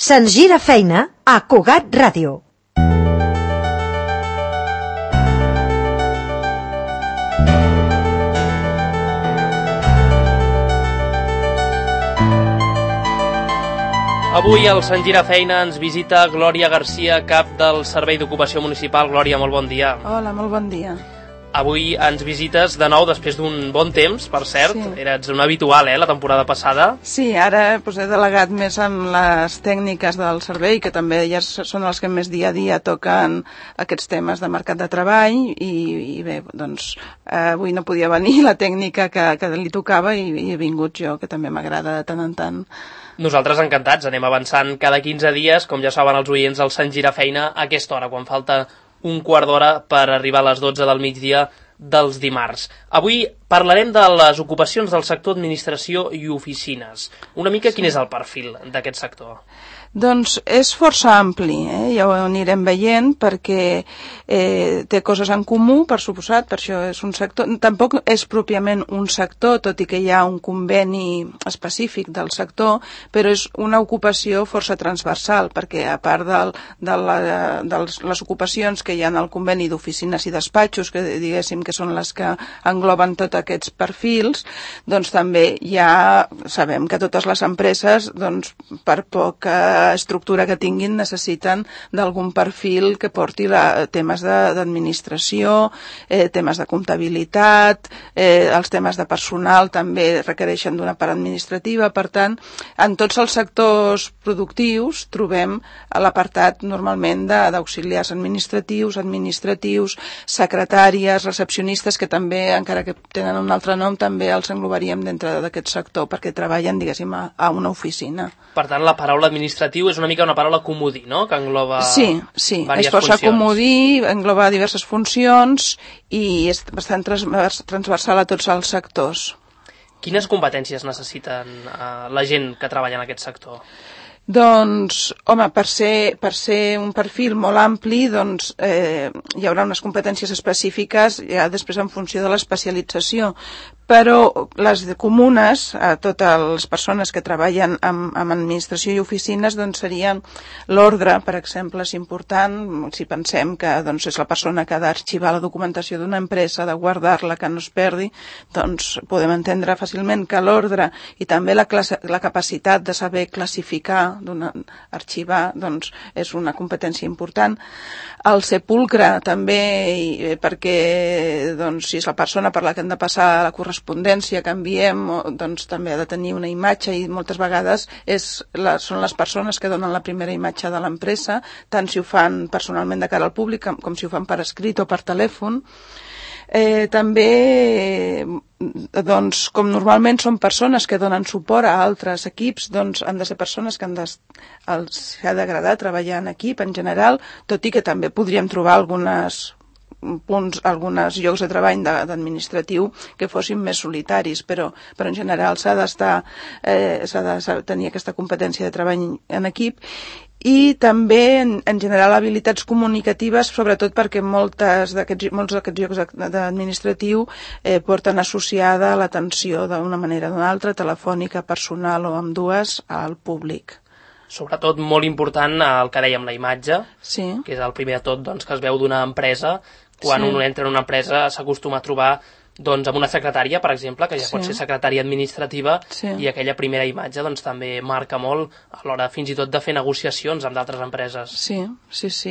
Se'ns gira feina a Cugat Ràdio. Avui al Sant Gira Feina ens visita Glòria Garcia, cap del Servei d'Ocupació Municipal. Glòria, molt bon dia. Hola, molt bon dia. Avui ens visites de nou després d'un bon temps, per cert. Sí. Eres un habitual, la temporada passada. Sí, ara he delegat més amb les tècniques del servei, que també ja són els que més dia a dia toquen aquests temes de mercat de treball, i bé, doncs avui no podia venir la tècnica que li tocava i he vingut jo, que també m'agrada de tant en tant. Nosaltres encantats, anem avançant cada 15 dies, com ja saben els oients, al Sant Gira Feina a aquesta hora, quan falta un quart d'hora per arribar a les 12 del migdia dels dimarts. Avui parlarem de les ocupacions del sector administració i oficines. Una mica quin és el perfil d'aquest sector? Doncs és força ampli, ja ho anirem veient, perquè té coses en comú, per suposat, per això és un sector. Tampoc és pròpiament un sector, tot i que hi ha un conveni específic del sector, però és una ocupació força transversal, perquè a part de les ocupacions que hi ha en el conveni d'oficines i despatxos, que diguéssim que són les que engloben tots aquests perfils, doncs també sabem que totes les empreses, doncs, per poca estructura que tinguin, necessiten d'algun perfil que porti temes d'administració, temes de comptabilitat, els temes de personal també requereixen d'una part administrativa. Per tant, en tots els sectors productius trobem l'apartat normalment d'auxiliars administratius, secretàries, recepcionistes, que també, encara que tenen un altre nom, també els englobaríem dintre d'aquest sector, perquè treballen, diguéssim, a una oficina. Per tant, la paraula administratiu és una mica una paraula comodí, no?, que engloba és força comodí, engloba diverses funcions i és bastant transversal a tots els sectors. Quines competències necessiten la gent que treballa en aquest sector? Doncs, home, per ser un perfil molt ampli, doncs hi haurà unes competències específiques ja després en funció de l'especialització, però les comunes a totes les persones que treballen amb administració i oficines doncs serien l'ordre, per exemple, és important, si pensem que doncs, és la persona que ha d'arxivar la documentació d'una empresa, de guardar-la, que no es perdi, doncs podem entendre fàcilment que l'ordre i també la capacitat de saber classificar, arxivar, doncs és una competència important. El sepulcre també, perquè doncs, si és la persona per la que hem de passar la correspondència que enviem, doncs també ha de tenir una imatge, i moltes vegades són les persones que donen la primera imatge de l'empresa, tant si ho fan personalment de cara al públic com si ho fan per escrit o per telèfon. També, doncs, com normalment són persones que donen suport a altres equips, doncs han de ser persones que els ha d'agradar treballar en equip en general, tot i que també podríem trobar alguns llocs de treball d'administratiu que fossin més solitaris, però en general s'ha de tenir aquesta competència de treball en equip. I també, en general, habilitats comunicatives, sobretot perquè molts d'aquests llocs d'administratiu porten associada l'atenció d'una manera o d'una altra, telefònica, personal o ambdues, al públic. Sobretot molt important el que dèiem, la imatge, sí, que és el primer de tot doncs, que es veu d'una empresa. Quan un entra en una empresa s'acostuma a trobar doncs, amb una secretària, per exemple, que ja pot ser secretària administrativa, i aquella primera imatge doncs, també marca molt a l'hora fins i tot de fer negociacions amb d'altres empreses. Sí,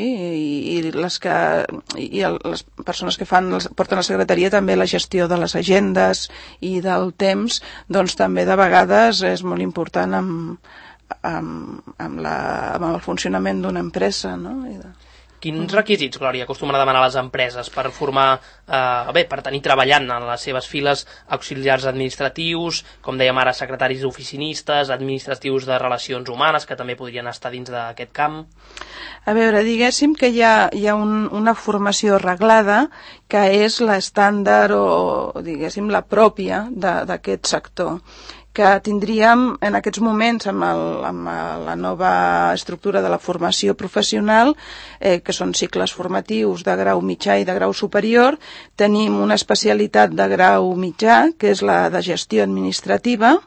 i les persones que porten la secretaria també la gestió de les agendes i del temps, doncs també de vegades és molt important amb el funcionament d'una empresa, no? Quins requisits, Glòria, acostumen a demanar les empreses per formar, per tenir treballant en les seves files auxiliars administratius, com dèiem ara, secretaris oficinistes, administratius de relacions humanes, que també podrien estar dins d'aquest camp? A veure, diguéssim que hi ha una formació reglada que és l'estàndard o, diguéssim, la pròpia d'aquest sector, que tindríem en aquests moments amb la nova estructura de la formació professional, que són cicles formatius de grau mitjà i de grau superior. Tenim una especialitat de grau mitjà, que és la de gestió administrativa,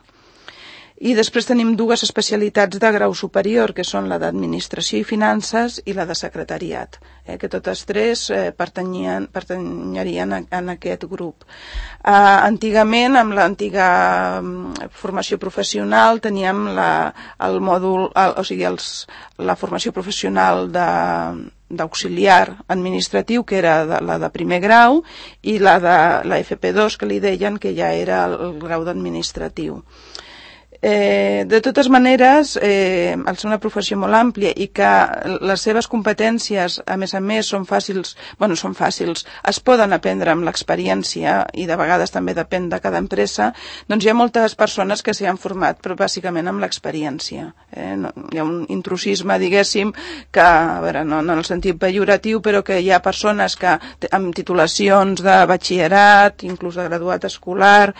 I després tenim dues especialitats de grau superior, que són la d'Administració i Finances i la de Secretariat, que totes tres pertanyerien en aquest grup. Antigament, amb l'antiga formació professional, teníem el mòdul, la formació professional d'auxiliar administratiu, que era la de primer grau, i la de la FP2, que li deien, que ja era el grau d'administratiu. De totes maneres, al ser una professió molt àmplia i que les seves competències, a més, són fàcils, es poden aprendre amb l'experiència i de vegades també depèn de cada empresa, doncs hi ha moltes persones que s'hi han format, però bàsicament amb l'experiència. Hi ha un intrusisme, diguéssim, que, a veure, no en el sentit pejoratiu, però que hi ha persones que amb titulacions de batxillerat, inclús de graduat escolar,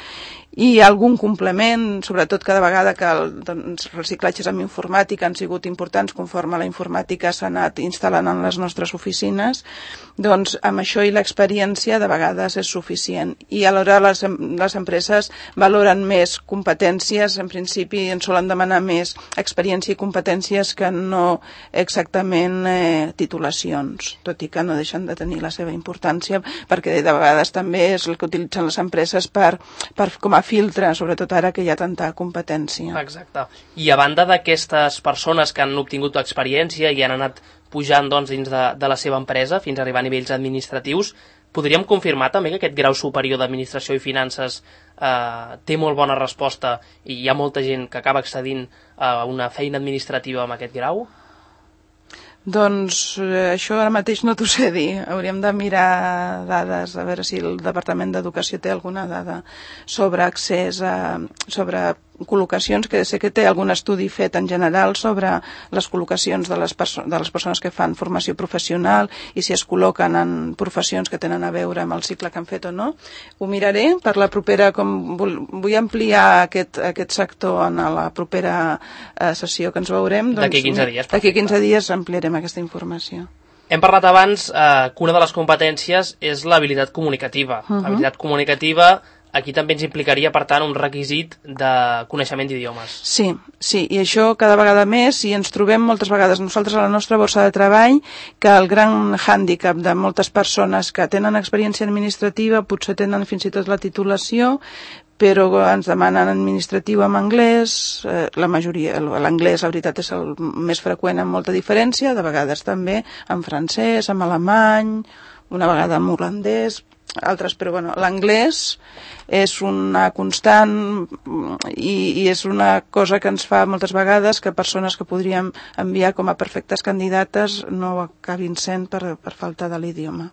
i algun complement, sobretot cada vegada que els reciclatges amb informàtica han sigut importants conforme la informàtica s'ha anat instal·lant en les nostres oficines, doncs amb això i l'experiència de vegades és suficient. I alhora les empreses valoren més competències, en principi en solen demanar més experiència i competències que no exactament titulacions, tot i que no deixen de tenir la seva importància, perquè de vegades també és el que utilitzen les empreses com a filtre, sobretot ara que hi ha tanta competència. Exacte. I a banda d'aquestes persones que han obtingut experiència i han anat pujant dins de la seva empresa fins a arribar a nivells administratius, podríem confirmar també que aquest grau superior d'Administració i Finances té molt bona resposta i hi ha molta gent que acaba accedint a una feina administrativa amb aquest grau? Doncs això ara mateix no t'ho sé dir. Hauríem de mirar dades, a veure si el Departament d'Educació té alguna dada sobre accés sobre col·locacions, que sé que té algun estudi fet en general sobre les col·locacions de les persones que fan formació professional i si es col·loquen en professions que tenen a veure amb el cicle que han fet o no. Ho miraré per la propera, com vull ampliar aquest sector en la propera sessió que ens veurem. D'aquí 15 dies. D'aquí 15 dies ampliarem aquesta informació. Hem parlat abans que una de les competències és l'habilitat comunicativa. Habilitat comunicativa aquí també ens implicaria, per tant, un requisit de coneixement d'idiomes. Sí, i això cada vegada més, i ens trobem moltes vegades nosaltres a la nostra borsa de treball, que el gran hàndicap de moltes persones que tenen experiència administrativa, potser tenen fins i tot la titulació, però ens demanen administratiu en anglès, la majoria, l'anglès, la veritat, és el més freqüent amb molta diferència, de vegades també en francès, en alemany, una vegada en holandès, altres, però bueno, l'anglès és una constant i és una cosa que ens fa moltes vegades que persones que podríem enviar com a perfectes candidates no acabin sent per falta de l'idioma.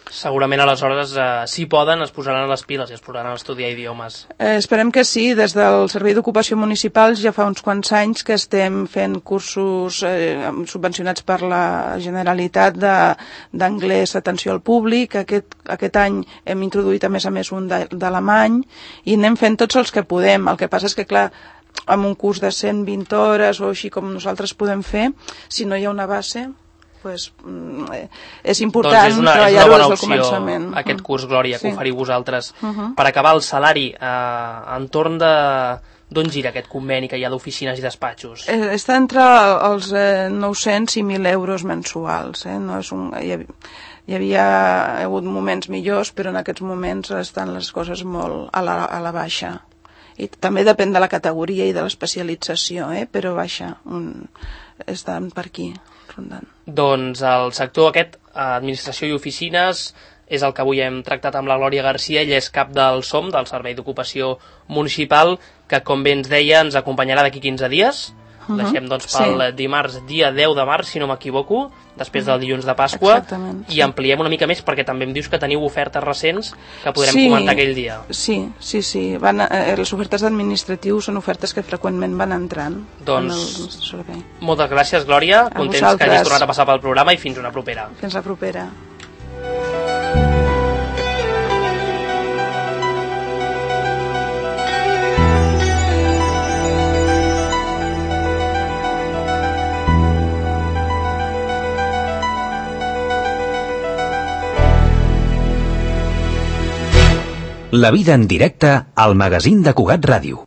Segurament aleshores, si poden, es posaran a les piles i es posaran a estudiar idiomes. Esperem que sí. Des del Servei d'Ocupació Municipal ja fa uns quants anys que estem fent cursos subvencionats per la Generalitat d'anglès atenció al públic. Aquest any hem introduït a més un d'alemany i anem fent tots els que podem. El que passa és que, clar, amb un curs de 120 hores o així com nosaltres podem fer, si no hi ha una base, pues, és important treballar-ho des del començament. Aquest curs, Glòria, que oferiu vosaltres. Per acabar, el salari, entorn d'on gira aquest conveni que hi ha d'oficines i despatxos? Està entre els 900 i 1.000 euros mensuals. No és hi havia hagut moments millors, però en aquests moments estan les coses molt a la baixa. I també depèn de la categoria i de l'especialització, però baixa. Estan per aquí, rondant. Doncs el sector aquest, administració i oficines, és el que avui hem tractat amb la Glòria Garcia. Ella és cap del SOM, del Servei d'Ocupació Municipal, que, com bé ens deia, ens acompanyarà d'aquí 15 dies. Deixem, doncs, pel dimarts, dia 10 de març, si no m'equivoco, després del dilluns de Pasqua. Exactament, i ampliem una mica més, perquè també em dius que teniu ofertes recents que podrem comentar aquell dia. Sí. Les ofertes d'administratius són ofertes que freqüentment van entrant. Doncs, moltes gràcies, Glòria. Contents que hagis tornat a passar pel programa i fins una propera. Fins la propera. La vida en directe al magazín de Cugat Ràdio.